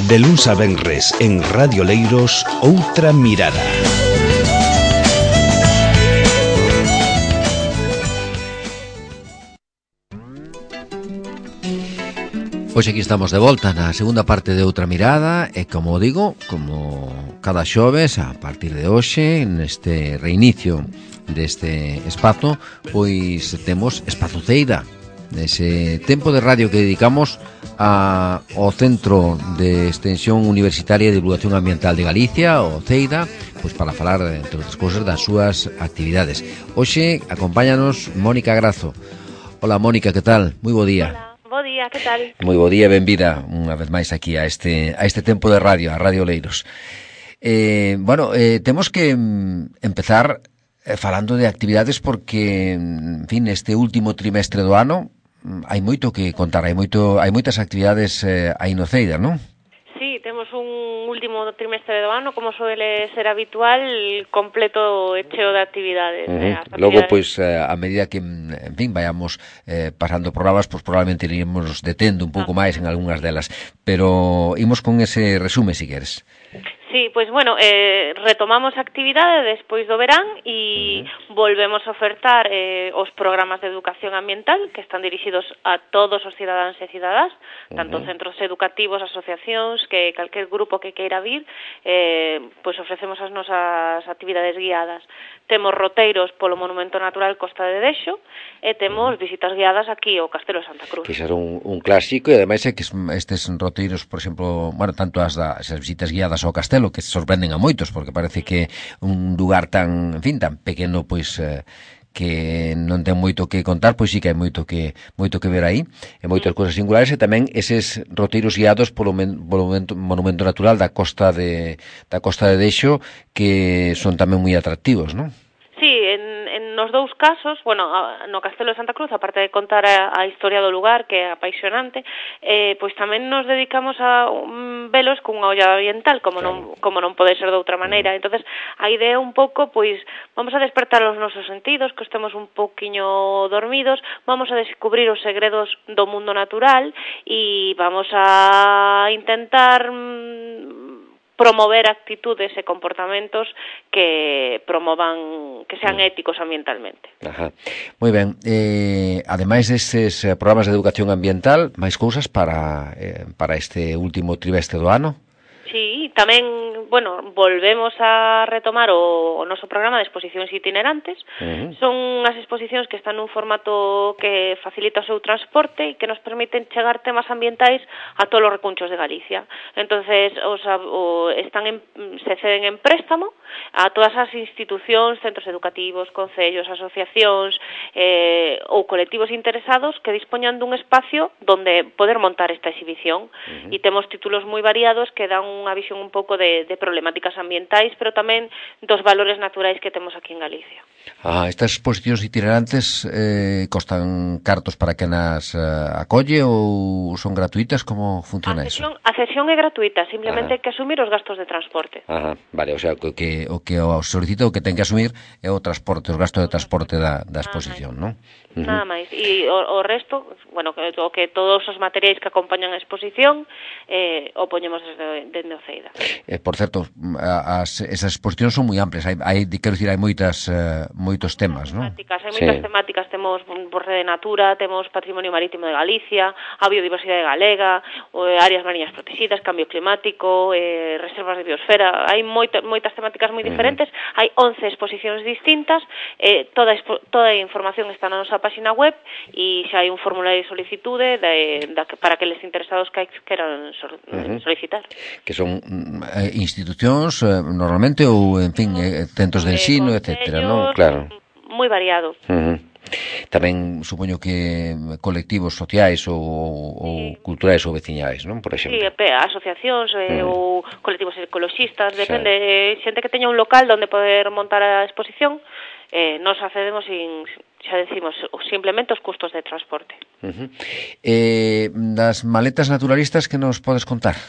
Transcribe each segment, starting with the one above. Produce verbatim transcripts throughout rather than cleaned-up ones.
De luns a venres en Radio Leiros, Outra Mirada. Pois aquí estamos de volta na segunda parte de Outra Mirada e, como digo, como cada xoves, a partir de hoxe, neste reinicio deste espazo, pois temos Espazuceira, nese tempo de radio que dedicamos a, ao Centro de Extensión Universitaria de Divulgación Ambiental de Galicia, o CEIDA, pois para falar, entre outras cousas, das súas actividades. Hoxe acompáñanos Mónica Grazo. Hola, Mónica, que tal? Moi bo día. Hola. Bo día, que tal? Moi bo día e benvida unha vez máis aquí a este a este tempo de radio, a Radio Leiros. Eh, bueno, eh, temos que mm, empezar eh, falando de actividades porque, en fin, este último trimestre do ano mm, hai moito que contar, hai moito hai moitas actividades eh, aí no CEIDA, non? Sí, temos un último trimestre do ano, como suele ser habitual, completo e cheo de actividades. Uh-huh. eh, actividades. Logo, pois, eh, a medida que, en fin, vayamos eh, pasando programas, pois probablemente iremos detendo un pouco ah. máis en algunhas delas, pero imos con ese resume, si queres. Sí, pois, bueno, eh, retomamos a actividade despois do verán e uh-huh. volvemos a ofertar eh, os programas de educación ambiental que están dirixidos a todos os cidadáns e cidadás, uh-huh. tanto centros educativos, asociacións, que calquer grupo que queira vir, eh, pois ofrecemos as nosas actividades guiadas. Temos roteiros polo Monumento Natural Costa de Dexo e temos visitas guiadas aquí ao Castelo de Santa Cruz. Que xa era un, un clásico e ademais é que estes roteiros, por exemplo, bueno, tanto as, da, as visitas guiadas ao Castelo que sorprenden a moitos, porque parece que un lugar tan, en fin, tan pequeno, pois eh, que non ten moito que contar, pois sí que hai moito que moito que ver aí, e moitas cousas singulares, e tamén eses roteiros guiados polo, men, polo monumento, monumento natural da Costa de da Costa de Dexo, que son tamén moi atractivos, non? Sí, en, en nos dous casos, bueno, no Castelo de Santa Cruz, aparte de contar a, a historia do lugar, que é apaixonante, eh, pois tamén nos dedicamos a um, velos cunha olla ambiental, como claro. non como non pode ser de outra maneira. Entonces, a idea un pouco, pois, vamos a despertar os nosos sentidos, que estemos un pouquiño dormidos, vamos a descubrir os segredos do mundo natural e vamos a intentar mm, promover actitudes e comportamentos que promovan, que sean éticos ambientalmente. Ajá. Moi ben. Eh, ademais destes programas de educación ambiental, máis cousas para eh, para este último trimestre do ano? Sí, tamén, bueno, volvemos a retomar o, o noso programa de exposicións itinerantes. Uh-huh. Son as exposicións que están nun formato que facilita o seu transporte e que nos permiten chegar temas ambientais a todos os recunchos de Galicia. Entonces, os, o, están en, se ceden en préstamo a todas as institucións, centros educativos, concellos, asociacións eh, ou colectivos interesados que dispoñan dun espacio donde poder montar esta exhibición. Uh-huh. E temos títulos moi variados que dan unha visión un pouco de, de problemáticas ambientais, pero tamén dos valores naturais que temos aquí en Galicia. Ah, estas exposicións itinerantes eh, costan cartos para que nas eh, acolle ou son gratuitas? Como funciona a sesión, eso? A sesión é gratuita, simplemente hai que asumir os gastos de transporte. Ajá, vale, o sea, o que o que o solicita, o que ten que asumir é o transporte, os gastos de transporte da, da exposición, non? Uh-huh. Nada máis. E o, o resto, bueno, que, o que todos os materiais que acompañan a exposición eh, o poñemos desde, desde o CEIDA. Eh, por certo, as, esas exposicións son moi amplias, hai, hai quero dicir, hai moitas uh, moitos temas, non? Temáticas, hai moitas sí. temáticas, temos borre de natura, temos patrimonio marítimo de Galicia, a biodiversidade galega, eh, áreas mariñas protegidas, cambio climático, eh, reservas de biosfera, hai moita, moitas temáticas moi diferentes, uh-huh. hai once exposicións distintas, eh, toda, toda a información está na nosa página web e xa hai un formulario de solicitude de, de, para que les interesados que queran uh-huh. solicitar. Que son eh, institucións eh, normalmente ou, en fin, eh, centros de ensino, eh, etcétera, non? Claro. Moi variado. Uh-huh. Tamén supoño que colectivos sociais ou, ou sí. culturais ou veciñais, non? Por exemplo. Sí, asociacións eh, mm. ou colectivos ecoloxistas, depende, sí. xente que teña un local onde poder montar a exposición, eh, nos accedemos sin, xa decimos, simplemente os custos de transporte. Uh-huh. Eh, das maletas naturalistas, que nos podes contar?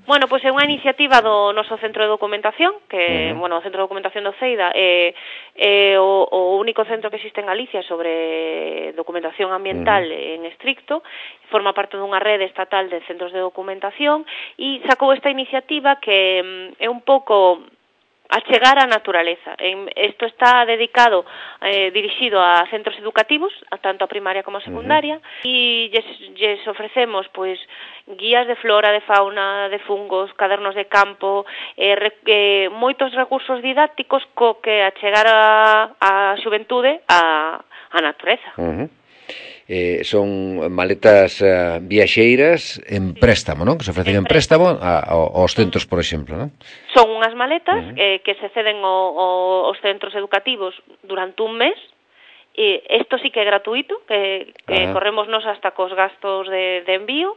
Bueno, pois é unha iniciativa do noso Centro de Documentación, que, uh-huh. bueno, o Centro de Documentación do Ceida é, é o, o único centro que existe en Galicia sobre documentación ambiental uh-huh. en estricto, forma parte dunha rede estatal de centros de documentación e sacou esta iniciativa que é un pouco achegar a naturaleza. Isto está dedicado, eh, dirixido a centros educativos, a tanto a primaria como a secundaria, uh-huh. e lles, lles ofrecemos pois guías de flora, de fauna, de fungos, cadernos de campo, eh, re, eh, moitos recursos didácticos co que achegar a, a xuventude a, a natureza. Uh-huh. Eh, son maletas uh, viaxeiras en préstamo, non? Que se ofrecen en, en préstamo a, a, aos centros, por exemplo, non? Son unhas maletas uh-huh. eh, que se ceden o, o, aos centros educativos durante un mes. E isto sí que é gratuito, que, que uh-huh. corremos nos hasta cos gastos de, de envío.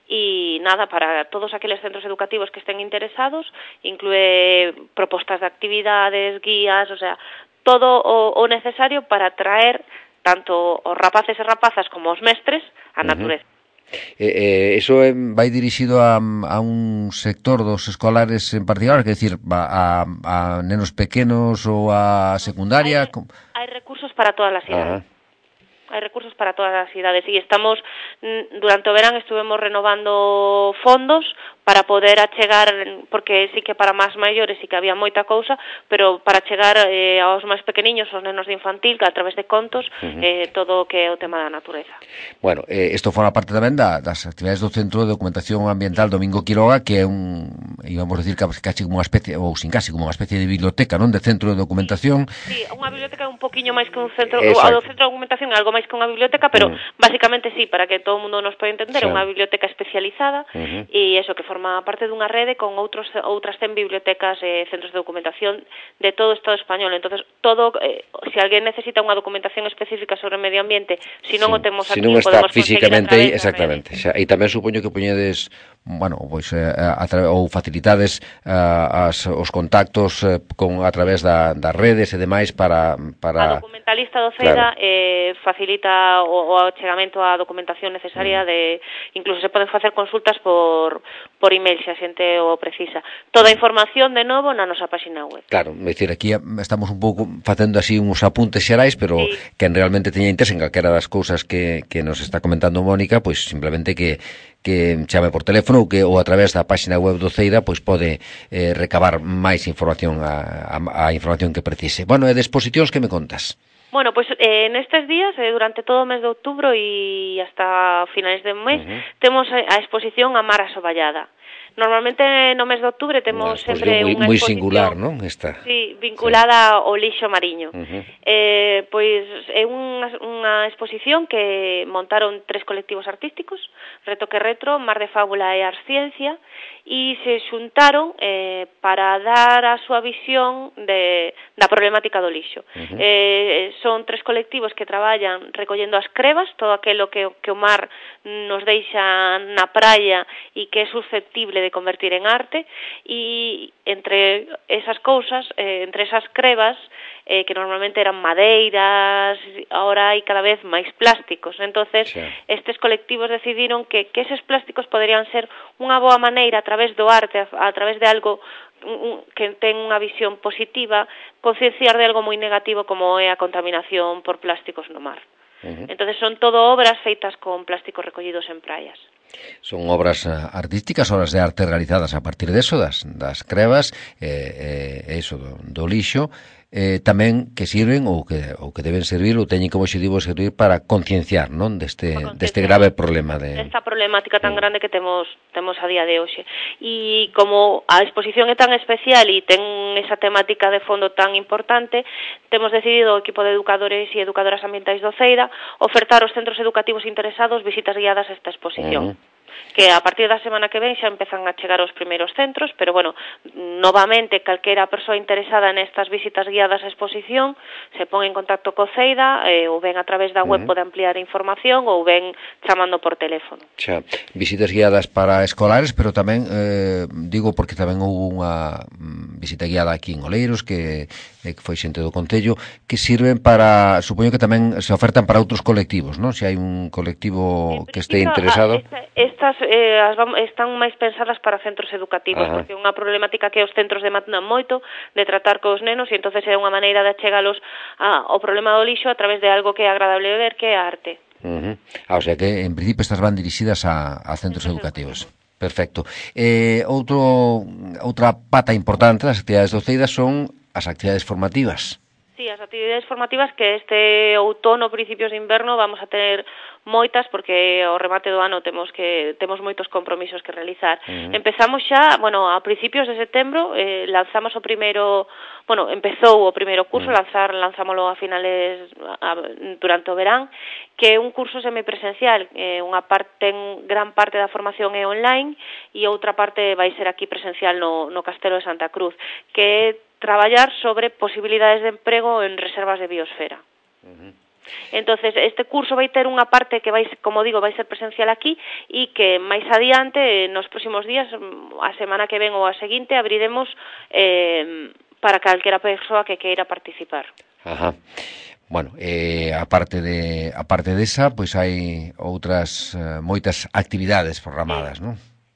E nada, para todos aqueles centros educativos que estén interesados, inclúe propostas de actividades, guías, o sea, todo o, o necesario para traer tanto os rapaces e rapazas como os mestres a natureza. Uh-huh. Eh, eh, eso eh, vai dirixido a, a un sector dos escolares en particular, que decir, a, a, a nenos pequenos ou a secundaria? Hai, hai recursos para todas as idades. Uh-huh. Hai recursos para todas as idades e estamos, durante o verán estuvemos renovando fondos para poder achegar, porque sí que para máis maiores sí que había moita cousa, pero para chegar eh, aos máis pequeniños, aos nenos de infantil, que a través de contos, uh-huh. eh, todo o que é o tema da natureza. Bueno, eh, isto forma parte tamén da, das actividades do Centro de Documentación Ambiental Domingo Quiroga, que é un, íbamos a decir, casi como unha especie, ou sin casi, como unha especie de biblioteca, non? De centro de documentación. Sí, unha biblioteca é un poquinho máis que un centro, o do centro de documentación é algo máis que unha biblioteca, pero uh-huh. basicamente sí, para que todo o mundo nos poida entender, é sí. unha biblioteca especializada uh-huh. e eso que forma parte dunha rede con outros outras cen bibliotecas e eh, centros de documentación de todo o Estado español. Entonces, todo eh, se alguén necesita unha documentación específica sobre o medio ambiente, se non sí. o temos aquí, si non está podemos físicamente aí, exactamente. Xa, e tamén supoño que poñedes, bueno, pois eh, a tra- ou facilitades uh, as, os contactos eh, con a través da, das redes e demais para para a documentalista do Ceida claro. eh, facilita o, o achegamento á documentación necesaria mm. de incluso se poden facer consultas por por email se a xente o precisa. Toda a información de novo na nosa página web. Claro, é dicir, aquí estamos un pouco facendo así uns apuntes xerais, pero sí. quen realmente teña interés en calquera das cousas que, que nos está comentando Mónica, pois simplemente que que chame por teléfono ou que ou a través da página web do Ceida pois pode eh, recabar máis información a, a, a información que precise. Bueno, e de exposicións que me contas? Bueno, pues eh, nestes días, eh, durante todo o mes de outubro e hasta finais de mes, uh-huh. temos a exposición A Mar Asoballada. Normalmente no mes de outubro temos sempre moi, unha moi exposición singular, non? Esta. Sí, vinculada sí. ao lixo mariño. Uh-huh. Eh, pois é unha, unha exposición que montaron tres colectivos artísticos, Retoque Retro, Mar de Fábula e Arsciencia, e se xuntaron eh, para dar a súa visión de, da problemática do lixo. Uh-huh. Eh, son tres colectivos que traballan recollendo as crebas, todo aquilo que, que o mar nos deixa na praia e que é susceptible de convertir en arte, e entre esas cousas, eh, entre esas crebas, eh, que normalmente eran madeiras, ahora hai cada vez máis plásticos. Entonces, sí. estes colectivos decidiron que, que eses plásticos poderían ser unha boa maneira a través do arte, a, a través de algo que ten unha visión positiva, concienciar de algo moi negativo como é a contaminación por plásticos no mar. Uh-huh. Entonces son todo obras feitas con plásticos recollidos en praias. Son obras uh, artísticas, obras de arte realizadas a partir de eso, das, das crevas, eh, eh, eso do, do lixo, eh, tamén que sirven ou que, ou que deben servir ou teñen como objetivo servir para concienciar, non, deste, deste grave problema de esta problemática tan grande que temos temos a día de hoxe. E como a exposición é tan especial e ten esa temática de fondo tan importante, temos decidido o equipo de educadores e educadoras ambientais do Ceida ofertar aos centros educativos interesados visitas guiadas a esta exposición. Uh-huh. Que a partir da semana que ven xa empezan a chegar os primeiros centros, pero bueno, novamente calquera persoa interesada nestas visitas guiadas á exposición se pon en contacto co Ceida, eh, ou ben a través da web uh-huh. pode ampliar a información ou ben chamando por teléfono. Xa, visitas guiadas para escolares, pero tamén eh, digo porque tamén houve unha visita guiada aquí en Oleiros que, eh, que foi xente do Concello, que sirven para, supoño que tamén se ofertan para outros colectivos, non? Se hai un colectivo que este interesado. Esta, esta estas eh, as vam, están máis pensadas para centros educativos, Ajá. porque é unha problemática que os centros demandan moito de tratar cos nenos e entonces é unha maneira de achegalos a, ao problema do lixo a través de algo que é agradable de ver, que é a arte. Uh-huh. Ah, o sea que en principio estas van dirixidas a, a centros educativos. Perfecto. Eh, outro, outra pata importante das actividades do CEIDA son as actividades formativas. Sí, as actividades formativas que este outono, principios de inverno, vamos a ter moitas porque ao remate do ano temos que temos moitos compromisos que realizar. Uh-huh. Empezamos xa, bueno, a principios de setembro eh, lanzamos o primeiro, bueno, empezou o primeiro curso, uh-huh. lanzar lanzámolo a finales a, durante o verán, que é un curso semipresencial, eh, unha parte, en gran parte da formación é online e outra parte vai ser aquí presencial no, no Castelo de Santa Cruz, que é traballar sobre posibilidades de emprego en reservas de biosfera. Uh-huh. Entonces, este curso vai ter unha parte que vai, como digo, vai ser presencial aquí e que máis adiante, nos próximos días, a semana que ven ou a seguinte, abriremos eh, para calquera persoa que queira participar. Ajá. Bueno, eh, aparte de aparte desa, pois hai outras eh, moitas actividades programadas, sí. non?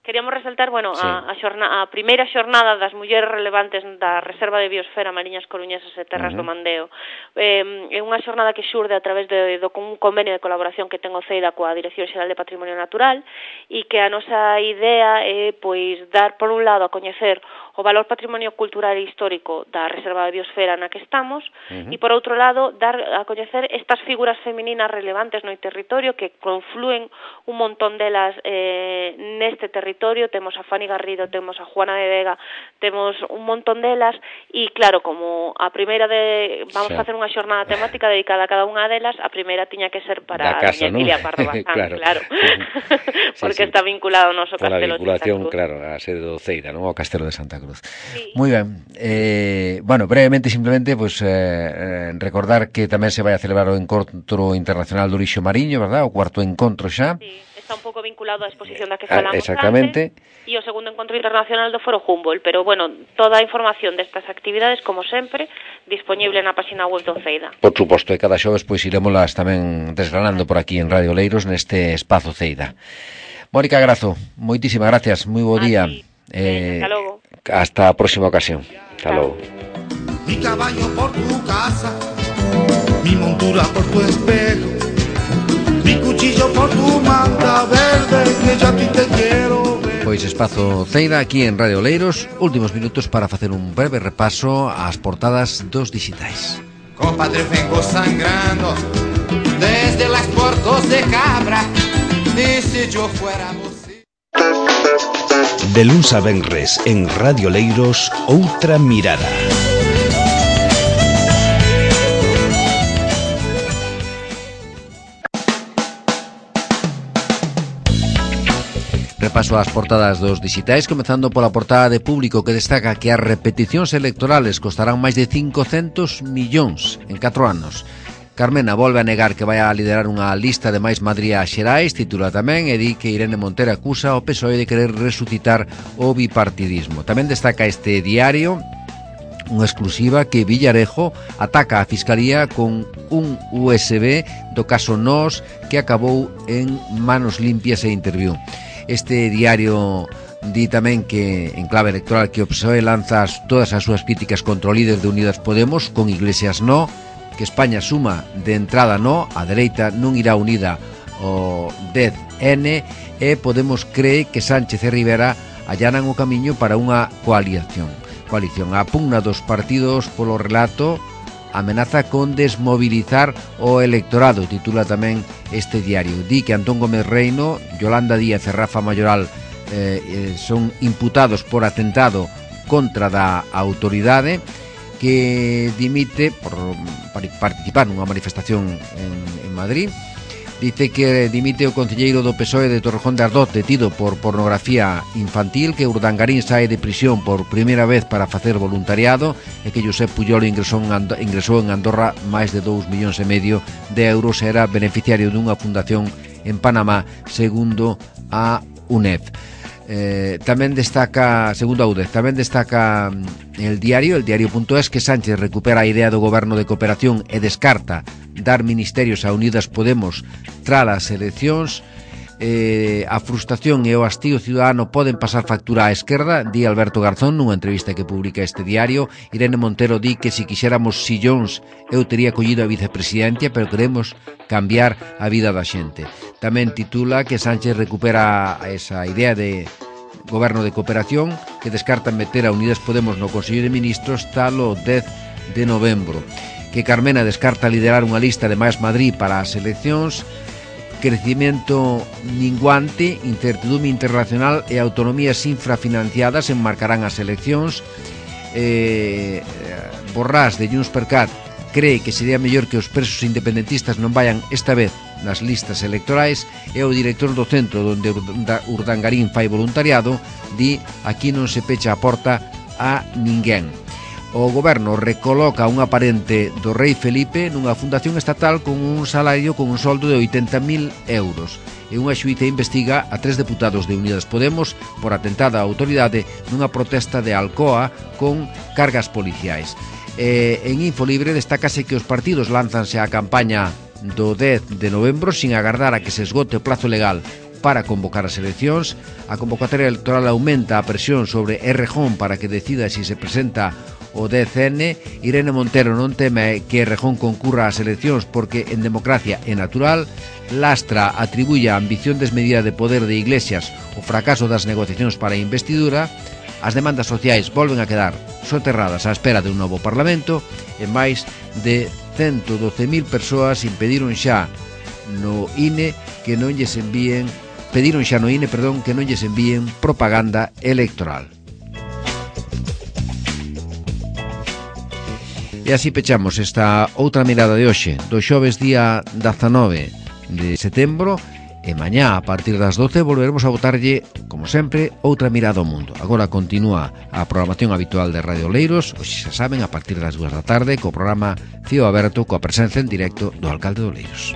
Queríamos resaltar, bueno, sí. a, a, xorna, a primeira xornada das mulleres relevantes da Reserva de Biosfera Mariñas Coruñesas e Terras uh-huh. do Mandeo. Eh, é unha xornada que xurde a través de, do un convenio de colaboración que ten o CEIDA coa Dirección Xeral de Patrimonio Natural e que a nosa idea é, pois, dar, por un lado, a coñecer o valor patrimonio cultural e histórico da Reserva de Biosfera na que estamos uh-huh. e, por outro lado, dar a coñecer estas figuras femininas relevantes no territorio que confluen un montón delas eh, neste territorio. Temos a Fanny Garrido, temos a Juana de Vega, temos un montón delas e claro, como a primeira de vamos sí. a facer unha xornada temática dedicada a cada unha delas, a primeira tiña que ser para da casa, a Emilia Pardo Bazán, claro, claro. sí, porque sí. está vinculado ao noso con Castelo de Santa Cruz. Claro, a sede do CEIDA, non? O Castelo de Santa Cruz. Sí. Moi ben. Eh, bueno, brevemente, simplemente, pues, eh, recordar que tamén se vai a celebrar o Encontro Internacional do Lixo Mariño, verdad? O cuarto encontro xa. Sí. Está un pouco vinculado á exposición da que falamos ah, exactamente. antes e o segundo encontro internacional do Foro Humboldt, pero bueno, toda a información destas actividades, como sempre, disponible na página web do CEIDA. Por suposto, e cada xoves pois iremoslas tamén desgranando por aquí en Radio Leiros neste espazo CEIDA. Mónica Grazo, moitísimas gracias, moi bo día. Eh, hasta logo. Hasta a próxima ocasión. Hasta logo. Mi caballo por tu casa, mi montura por tu espejo, mi cuchillo por tu manta verde, que ya a ti te quiero ver. Pois espazo CEIDA aquí en Radio Leiros, últimos minutos para facer un breve repaso ás portadas dos dixitais. Compadre, vengo sangrando desde las puertos de Cabra, y si yo fuera música. De luns a venres en Radio Leiros, outra mirada. Repaso ás portadas dos dixitais, comezando pola portada de Público, que destaca que as repeticións electorales costarán máis de cincocentos millóns en catro anos. Carmena volve a negar que vai a liderar unha lista de máis Madrid a Xerais, titula tamén, e di que Irene Montero acusa ao P S O E de querer resucitar o bipartidismo. Tamén destaca este diario unha exclusiva que Villarejo ataca a Fiscalía con un U S B do caso Nós que acabou en manos limpias e interviú. Este diario di tamén que, en clave electoral, que o P S O E lanza todas as súas críticas contra o líder de Unidas Podemos, con Iglesias no, que España suma de entrada no, a dereita non irá unida ao dez ene, e Podemos cree que Sánchez e Rivera allanan o camiño para unha coalición. Coalición. A pugna dos partidos polo relato amenaza con desmobilizar o electorado, titula tamén este diario. Di que Antón Gómez Reino, Yolanda Díaz e Rafa Mayoral eh, eh, son imputados por atentado contra da autoridade, que dimite por, por participar nunha manifestación en, en Madrid. Dice que dimite o concelleiro do P S O E de Torrejón de Ardós, detido por pornografía infantil, que Urdangarín sae de prisión por primeira vez para facer voluntariado, e que Josep Pujol ingresou en, Andorra, ingresou en Andorra máis de dous millóns e medio de euros, e era beneficiario dunha fundación en Panamá, segundo a U N E D. Eh, tamén destaca, segundo a U D E, tamén destaca el diario, el diario.es, que Sánchez recupera a idea do goberno de cooperación e descarta dar ministerios a Unidas Podemos tras as eleccións. eh, a frustración e o hastío ciudadano poden pasar factura á esquerda, di Alberto Garzón nunha entrevista que publica este diario. Irene Montero di que se quixéramos sillóns eu tería collido a vicepresidencia, pero queremos cambiar a vida da xente. Tamén titula que Sánchez recupera esa idea de goberno de cooperación, que descartan meter a Unidas Podemos no Consello de Ministros tal o dez de novembro, que Carmena descarta liderar unha lista de Máis Madrid para as eleccións, crecimiento minguante, incertidumbre internacional e autonomías infrafinanciadas enmarcarán as eleccións. eh, Borrás de Junts per Cat cree que sería mellor que os presos independentistas non vayan esta vez nas listas electorais, e o director do centro onde Urdangarín fai voluntariado di aquí non se pecha a porta a ninguén. O goberno recoloca un aparente do rei Felipe nunha fundación estatal con un salario con un soldo de oitenta mil euros, e unha xuíza investiga a tres deputados de Unidas Podemos por atentada á autoridade nunha protesta de Alcoa con cargas policiais. E en Infolibre destácase que os partidos lánzanse á campaña do dez de novembro sin agardar a que se esgote o plazo legal para convocar as eleccións. A convocatoria electoral aumenta a presión sobre Errejón para que decida se si se presenta o dez ene. Irene Montero non teme que Errejón concurra ás eleccións porque en democracia é natural. Lastra atribuye a ambición desmedida de poder de Iglesias o fracaso das negociacións para a investidura. As demandas sociais volven a quedar soterradas á espera de un novo Parlamento, e máis de ciento doce mil persoas impediron xa no I N E que non lles envíen pediron xa no I N E, perdón, que non lles envíen propaganda electoral. E así pechamos esta outra mirada de hoxe, do xoves día dezanove de setembro, e mañá a partir das doce volveremos a botarlle, como sempre, outra mirada ao mundo. Agora continúa a programación habitual de Radio Oleiros, hoxe xa saben, a partir das dúas da tarde, co programa Cío Aberto, coa presencia en directo do alcalde de Oleiros.